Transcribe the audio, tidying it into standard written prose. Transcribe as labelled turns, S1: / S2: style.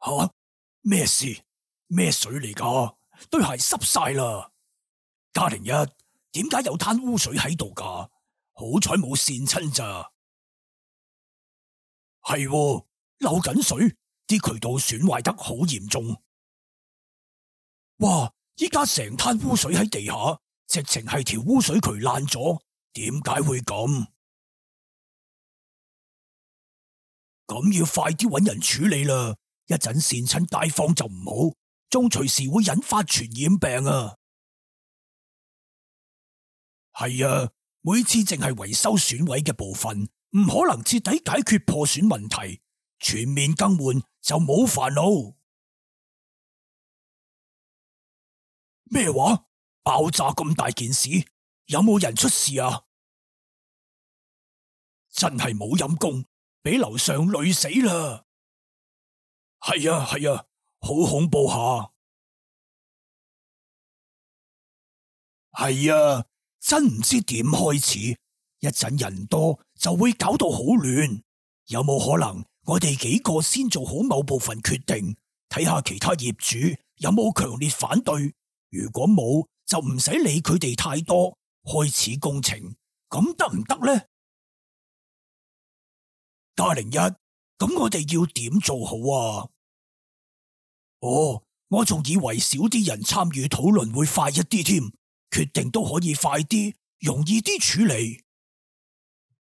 S1: 吓？咩事？咩水嚟噶？對鞋濕晒啦！加01，點解有灘污水喺度噶？好彩冇跣親咋。係喎，漏緊水，啲渠道損壞得好嚴重。哇！依家成灘污水喺地下，直情係條污水渠爛咗。點解會咁？咁要快啲搵人處理啦！一陣跣親街坊就唔好，仲隨時會引發傳染病啊！係啊，每次淨係維修損毀嘅部分，唔可能徹底解決破損問題，全面更換就冇煩惱。咩話？爆炸咁大件事，有冇人出事啊？真係冇陰功，俾樓上累死啦！係啊係啊，好恐怖下。係啊，真唔知點開始，一陣人多就會搞到好亂。有冇可能我哋幾個先做好某部分決定，睇下其他業主有冇強烈反對？如果冇，就唔使理佢哋太多，開始工程，咁得唔得呢？加01，咁我哋要點做好啊？哦，我仲以為少啲人參與討論會快一啲添，決定都可以快啲，容易啲處理。